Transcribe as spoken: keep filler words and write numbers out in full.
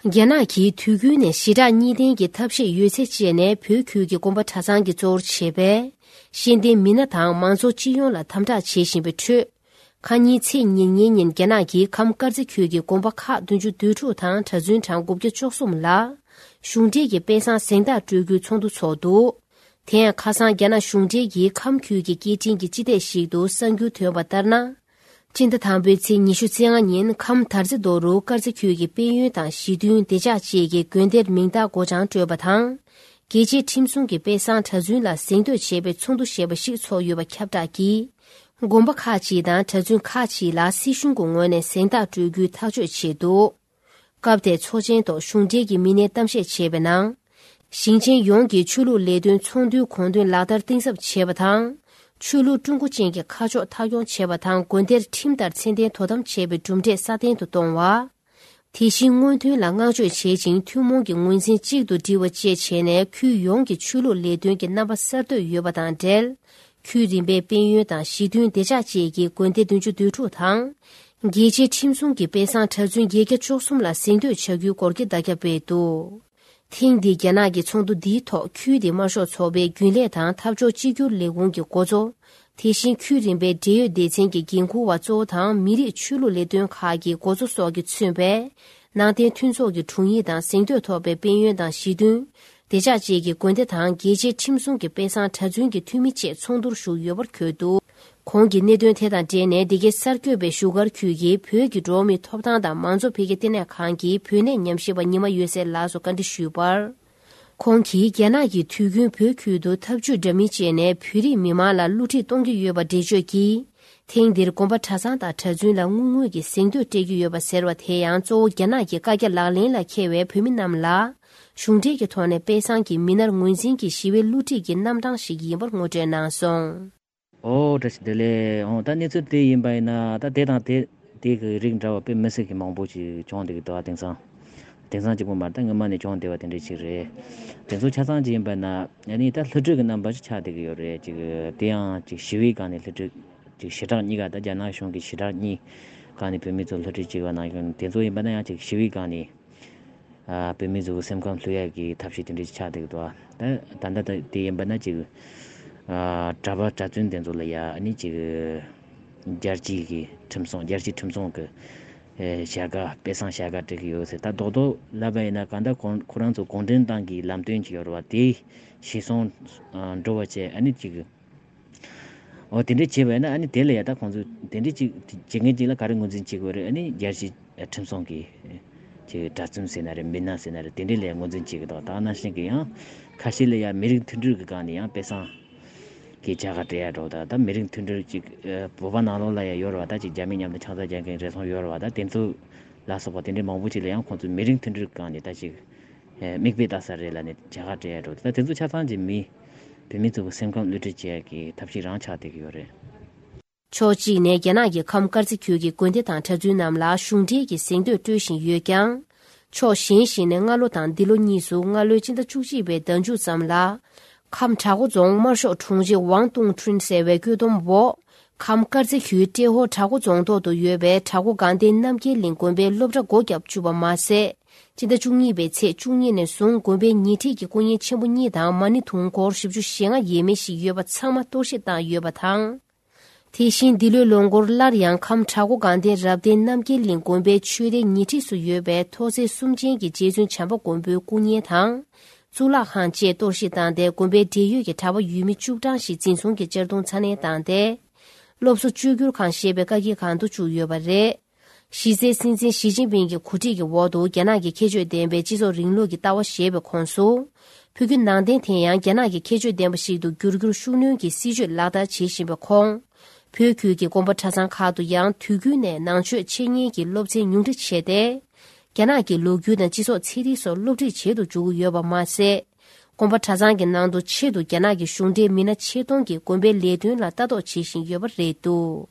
རྒྱ་ནག་གིས་དུས་རྒྱུན་ནས་ཞི་དྲག་གཉིས་ལྡན་གྱི་ཐབས་ཤེས་ཡོད་ཚད་སྤྱད་ནས་བོད་ཁུལ་གྱི་དགོན་པ་གྲྭ་ཚང་གི་གཙོ་བོར་བྱས་པའི་ཤེས་ལྡན་མི་སྣ་དང་མང་ཚོགས་སྤྱི་ཡོངས་ལ་དམ་དྲག་བྱེད་བཞིན་པའི་ཁྲོད། ཁ་ཉིན་ཚེས་ཉེར་གཉིས་ཉིན་རྒྱ་ནག་གིས་ཁམས་དཀར་མཛེས་ཁུལ་གྱི་དགོན་པ་ཁག་བདུན་ཅུ་དོན་དྲུག་དང་གྲྭ་བཙུན་གྲངས་དགུ་བརྒྱ་བཅུ་གསུམ་ལ་གཞུང་འབྲེལ་གྱི་དཔེ་བཟང་གཟེངས་རྟགས་སྤྲོད་རྒྱུའི་ཚོགས་འདུ་ཚོགས་འདུག་དེ་ཡང་ཁ་སང་རྒྱ་ནག་གཞུང་འབྲེལ་གྱིས་ཁམས་ཁུལ་གྱི་སྐད་འཕྲིན་གྱི་སྤྱི་སྟེགས་ཤིག་ཏུ་གསར་འགྱུར་ཐོན་པ་ལྟར་ན། སྤྱི་ཟླ་དང་པོའི་ཚེས་ཉི་ཤུ་རྩ་ལྔ་ཉིན་ཁམས་དར་རྩེ་རྡོ་རུ་དཀར་མཛེས་ཁུལ་གྱི་དཔལ་ཡོན་དང་ཞི་མཐུན་བདེ་འཇགས་བཅས་ཀྱི་དགོན་སྡེར་མིང་རྟགས་སྒོ་བྱང་སྤྲོད་པ་དང་། རྒྱལ་གཅེས་ཁྲིམས་སྲུང་གི་དཔེ་བཟང་གྲྭ་བཙུན་ལ་གཟེངས་བསྟོད་བྱེད་པའི་ཚོགས་འདུ་ཞེས་པ་ཞིག་ཚོགས་ཡོད་པ་ཁྱབ་བསྒྲགས་ཀྱིས། དགོན་པ་ཁག་ཅིག་དང་གྲྭ་བཙུན་ཁག་ཅིག་ལ་སྲིད་གཞུང་གི་ངོས་ནས་གཟེངས་རྟགས་སྤྲོད་རྒྱུའི་ཐག་གཅོད་བྱས་འདུག་སྐབས་དེའི་ཚོགས་ཆེན་ཐོག་གཞུང་འབྲེལ་གྱི་མི་སྣས་གཏམ་བཤད་བྱས་པའི་ནང་། ཞིང་ཆེན་ཡོངས་ཀྱི་ཆོས་ལུགས་ལས་དོན་ཚོགས་འདུའི་དགོངས་དོན་ལག་བསྟར་གཏིང་ཟབ་བྱེད་པ་དང་། ཆོས་ལུགས་ཀྲུང་གོ་ཅན་གྱི་ཁ་ཕྱོགས་མཐའ་འཁྱོངས་བྱེད་པ་དང་། དགོན་སྡེར་ཁྲིམས་ལྟར་ཚད་ལྡན་དོ་དམ་བྱེད་པའི་གྲུབ་འབྲས་སྲ་བརྟན་དུ་གཏོང་བ། དེ་བཞིན་སྔོན་ཐོན་ལ་བསྔགས་བརྗོད་བྱེད་ཅིང་ཐུན་མོང་གི་ངོས་འཛིན་གཅིག་ཏུ་སྒྲིལ་བ་བཅས་བྱས་ནས་ཁུལ་ཡོངས་ཀྱི་ཆོས་ལུགས་ལས་དོན་གྱི་རྣམ་པ་གསར་གཏོད་ཡོད་པ་དང་འབྲེལ། ཁུལ་རིམ་པའི་དཔལ་ཡོན་དང་ཞི་མཐུན་བདེ་འཇགས་བཅས་ཀྱི་དགོན་སྡེ་བདུན་ཅུ་དོན་དྲུག་དང་། རྒྱལ་གཅེས་ཁྲིམས་སྲུང་གི་དཔེ་བཟང་གྲྭ་བཙུན་བརྒྱད་བརྒྱ་བཅུ་གསུམ་ལ་གཟེངས་བསྟོད་བྱ་རྒྱུའི་སྐོར་གྱི་བརྡ་ཁྱབ་སྤེལ་འདུག་ཐེངས་འདིའི་རྒྱ་ནག་གི་ཚོགས་འདུ་འདིའི་ཐོག་ཁུལ་དེའི་དམར་ཤོག་ཚོགས་པའི་རྒྱུན་ལས་དང་འཐབ་ཕྱོགས་གཅིག་གྱུར་ལས་ཁུངས་ཀྱི་འགོ་གཙོ། དེ་བཞིན་ཁུལ་རིམ་པའི་འབྲེལ་ཡོད་སྡེ་ཚན་གྱི་འགན་འཁུར་བ་གཙོ་བོ་དང་མི་རིགས་ཆོས་ལུགས་ལས་དོན་ཁག་གི་འགོ་གཙོ་སོགས་ཀྱིས་མཚོན་པའི་ནང་བསྟན་མཐུན་ཚོགས་ཀྱི་དྲུང་ཡིག་དང་གཟེངས་བསྟོད་ཐོབ་པའི་དཔལ་ཡོན་དང་ཞི་མཐུན། བདེ་འཇགས་བཅས་ཀྱི་དགོན་སྡེ་དང་རྒྱལ་གཅེས་ཁྲིམས་སྲུང་གི་དཔེ་བཟང་གྲྭ་བཙུན་གྱི་འཐུས་མི་བཅས་ཚོགས་འདུར་ཞུགས་ཡོད་པར་འཁོད་འདུག་གོང་གི་གནད་དོན་དེ་དང་འབྲེལ་ནས་འདི་གའི་གསར་འགོད་པས་བཞུགས་སྒར་ཁུལ་གྱི་བོད་ཀྱི་འགྲོ་བ་མིའི་ཐོབ་ཐང་དང་མང་གཙོ་འཕེལ་རྒྱས་ལྟེ་གནས་ཁང་གི་བོད་གནས་ཉམས་ཞིབ་པ་ཉི་མ་འོད་ཟེར་ལགས་སུ་བཀའ་འདྲི་ཞུས་པར། ཁོང་གིས་རྒྱ་ནག་གིས་དུས་རྒྱུན་བོད་ཁུལ་དུ་འཐབ་ཇུས་འདྲ་མིན་སྤྱད་ནས་བོད་རིགས་མི་མང་ལ་བསླུ་བྲིད་གཏོང་གི་ཡོད་པ་འགྲེལ་བརྗོད་ཀྱིས། ཐེངས་འདིར་དགོན་པ་གྲྭ་ཚང་དང་གྲྭ་བཙུན་ལ་དངུལ་དངོས་ཀྱི་གཟེངས་བསྟོད་སྤྲད་ཀྱི་ཡོད་པ་ཟེར་བ་དེ་ཡང་གཙོ་བོ་རྒྱ་ནག་གི་བཀའ་རྒྱ་ལག་ལེན་ལ་འཁེལ་བའི་བོད་མི་རྣམས་ལ། གཞུང་འབྲེལ་གྱི་ཐོག་ནས་དཔེ་བཟང་གི་མི་སྣར་ངོས་འཛིན་གྱིས་ཞི་བའི་བསླུ་བྲིད་ཀྱི་རྣམ་གྲངས་ཤིག་ཡིན་པར་ངོ་སྤྲོད་གནང་སོང་། ཨོ་བཀྲ་ཤིས་བདེ་ལེགས། ཨོ་ད་གནས་ཚུལ་དེ་ཡིན་པ་ཡིན་ན་ད་དེ་དང་དེ་དེ་གི་རིགས་འདྲ་བ་དཔེ་མི་སྲིད་ཀྱི་མང་པོ་ཅིག་བྱུང་བསྡད་ཀྱི་འདུག་དེང་སང་དེང་སང་གཅིག་པོ་མ་རེད། ད་སྔོན་མ་ནས་བྱུང་བསྡད་པ་དེ་འདྲ་ཅིག་རེད། དེ་ཚོ་ཆ་ཚང་ཅིག་ཡིན་པ་ན་ཨ་ནི་ད་བསླུ་བྲིད་ཀྱི་རྣམ་པ་ཞིག་ཆགས་བསྡད་ཀྱི་ཡོད་རེད། ཅིག་དེ་ཡང་ཅིག་ཞི་བའི་སྒང་ནས་བསླུ་བྲིད་ཅིག་ཞི་དྲག་གཉིས་ཀ་ད་རྒྱ་ནག་གཞུང་གི་ཞི་དྲག་གཉིས་སྒང་ནས་བོད་མི་ཚོ་བསླུ་བྲིད་བྱས་པ་ནང་བཞིན་དེ་ཚོ་ཡིན་པ་ན་ཡང་ཅིག་ཞི་བའི་སྒང་ནས། ཨ་བོད་མི་ཚོའི་སེམས་ཁམས་བསླུ་ཡག་གི་ཐབས་ཤེས་དེ་འདྲ་ཆགས་བསྡད་འདུག་ད་ད་ལྟ་ད་དེ་ཡིན་པ་ན་ཅིག་ཨ་གྲྭ་པ་གྲྭ་བཙུན་དེ་ཚོ་ལ་ཡ་ཨ་ནི་ཅིག་རྒྱལ་སྤྱིའི་གི་ཁྲིམས་སྲུང་རྒྱལ་སྤྱིའི་ཁྲིམས་སྲུང་གི་ཨེ་བྱ་དགའ་དཔེ་བཟང་བྱ་དགའ་སྤྲད་ཀྱི་ཡོད་ཟེར། ད་རྡོག་རྡོག་ལབ་པ་ཡིན་ན་གང་ལྟར་ཁོང་ཁོ་རང་ཚོ་གུང་ཁྲན་ཏང་གི་ལམ་སྟོན་ཅིག་ཡོད་རེད་བ། དེ་གཞིར་བཟུང་ཨ་འགྲོ་བ་བྱས་ཨ་ནི་ཅིག་ཨོ་དེ་འདྲས་བྱས་པ་ཡིན་ན་ཨ་ནི་དེ་ལ་ཡ་ད་ཁོང་ཚོས་དེ་འདྲས་ཅིག་བྱེད་མཁན་ཅིག་ལ་ག་རེ་ངོས་འཛིན་བྱེད་དགོས་རེད། ཨ་ནི་རྒྱལ་སྤྱིའི་ཁྲིམས་སྲུང་གི་ཅིག་གྲྭ་བཙུན་ཟེར་ན་རེད། མི་སྣ་ཟེར་ན་རེད། དེ་འདྲས་ལ་ཡ་ངོས་འཛིན་བྱེད་ཀྱི་འདུག་ད་ནང་བཞིན་གྱི་ཡང་ཁ་ཤས་ལ་ཡ་མི་རིགས་མཐུན་སྒྲིལ་གྱི་སྒང་ནས་ཡང་དཔེ་བཟང་གི་བྱ་དགའ་སྤྲད་ཡ་འགྲོ། ད་ད་མི་རིགས་མཐུན་སྒྲིལ་ཅིག་བོད་པ་ནང་ལོགས་ལ་ཡ་ཡོད་རེད་བ། ད་ཅིག་རྒྱ་མི་མཉམ་དུ་ཆང་ས་རྒྱག་མཁན་རེ་ཟུང་ཡོད་རེད་བ། ད་དེ་ཚོ་ལ་སོགས་པ་དེ་འདྲས་མང་པོ་ཅིག་ལ་ཡང་ཁོང་ཚོས་མི་རིགས་མཐུན་སྒྲིལ་གྱི་སྒང་ནས་ད་ཅིག་མིག་དཔེ་ལྟ་ས་རེད་ལབ་ནས་བྱ་དགའ་སྤྲད་ཡ་འགྲོ། ད་དེ་ཚོ་ཆ་ཚང་གི་མི་བོད་མི་ཚོ་གི་སེམས་ཁམས་བསླུ་བྲིད་བྱེད་ཡ་གི་ཐབས་ཤེས་རང་ཆགས་བསྡད་ཀྱི་ཡོད་རེད། ཕྱོགས་གཅིག་ནས་རྒྱ་ནག་གི་ཁམས་དཀར་མཛེས་ཁུལ་གྱི་དགོན་སྡེ་དང་གྲྭ་བཙུན་རྣམས་ལ་གཞུང་འབྲེལ་གྱི་གཟེངས་བསྟོད་སྤྲོད་བཞིན་ཡོད་ཀྱང་། ཕྱོགས་གཞན་ཞིག་ནས་སྔ་ལོ་དང་འདི་ལོ་གཉིས་སུ་སྔ་ལོའི་སྤྱི་ཟླ་བཅུ་གཅིག་པའི་ཟླ་མཇུག་ཙམ་ལ། ཁམས་བྲག་འགོ་རྫོང་དམར་ཤོག་དྲུང་ཆེ་ཝང་ཏུང་ཁྲུན་ཟེར་བའི་བཀོད་འདོམས་འོག་ཁམས་དཀར་མཛེས་ཁུལ་ཏྲེ་ཧོ་བྲག་འགོ་རྫོང་ཐོག་ཏུ་ཡོད་པའི་བྲག་འགོ་དགའ་ལྡན་རྣམ་རྒྱལ་གླིང་དགོན་པའི་སློབ་གྲྭ་སྒོ་བརྒྱབ་བཅུག་པ་མ་ཟད། སྤྱི་ཟླ་བཅུ་གཉིས་པའི་ཚེས་བཅུ་གཉིས་ནས་བཟུང་དགོན་པའི་ཉེ་འཁྲིས་ཀྱི་སྐུ་བརྙན་ཆེན་པོ་གཉིས་དང་མ་ཎི་དུང་འཁོར་བཞི་བཅུ་ཞེ་ལྔ་ཡས་མས་ཤིག་ཡོད་པ་ཚང་མ་གཏོར་བཤིག་བཏང་ཡོད་པ་དང་། དེ་བཞིན་འདི་ལོའི་ལོ་འགོར་སླར་ཡང་ཁམས་བྲག་འགོ་དགའ་ལྡན་རབ་བརྟན་རྣམ་རྒྱལ་གླིང་དགོན་པའི་ཆོས་སྡེ་ཉེ་འཁྲིས་སུ་ཡོད་པའི་ཐོག་བརྩེགས་གསུམ་ཅན་གྱི་རྗེ་བཙུན་བྱམས་པ་མགོན་པོའི་སྐུ་བརྙན་དང་། གཙུག་ལག་ཁང་བཅས་གཏོར་བཤིག་བཏང་སྟེ་དགོན་པའི་འབྲེལ་ཡོད་ཀྱི་གྲྭ་པ་ཡུལ་མི་བཅུ་གྲངས་ཤིག་འཛིན་བཟུང་གིས་གཅར་རྡུང་ཚ་ནན་བཏང་སྟེ། སློབ་གསོ་བཅོས་བསྒྱུར་ཁང་ཞེས་པའི་བཀའ་བཀྱིན་ཁང་དུ་བཅུག་ཡོད་པ་རེད། གཞི་རྩའི་སྲིད་འཛིན་ཞི་ཅིན་ཕིང་གི་གོ་སྒྲིག་གི་འོག་ཏུ་རྒྱ་ནག་གི་ཁྱད་ཆོས་ལྡན་པའི་སྤྱི་ཚོགས་རིང་ལུགས་ཀྱི་ལྟ་བ་ཞེས་པའི་ཁོངས་སུ། ཕྲུ་གུ་ནང་བསྟན་དེ་ཡང་རྒྱ་ནག་གི་ཁྱད་ཆོས་ལྡན་པ་ཞིག་ཏུ་འགྱུར་རྒྱུར་ཤུགས་སྣོན་གྱི་སྲིད་བྱུས་ལག་བསྟར་བྱེད་བཞིན་པའི་ཁོངས། བོད་ཁུལ་གྱི་དགོན་པ་གྲྭ་ཚང་ཁག་ཏུ་ཡང་དུས་རྒྱུན་ནས་ནང་ཆོས་འཆད་ཉན་གྱི་སློབ་ཚན་ཉུང་འཕྲི་བྱས་ཏེ། རྒྱ་ནག་གི་ལོ་རྒྱུས་དང་སྤྱི་ཚོགས་ཚན་རིག་སོགས་སློབ་ཁྲིད་བྱེད་དུ་འཇུག་གི་ཡོད་པ་མ་ཟད། དགོན་པ་གྲྭ་ཚང་གི་ནང་དུ་ཆེད་དུ་རྒྱ་ནག་གི་གཞུང་འབྲེལ་མི་སྣ་ཆེད་གཏོང་གིས་དགོན་པའི་ལས་དོན་ལ་ལྟ་རྟོག་བྱེད་བཞིན་ཡོད་པ་རེད་འདུག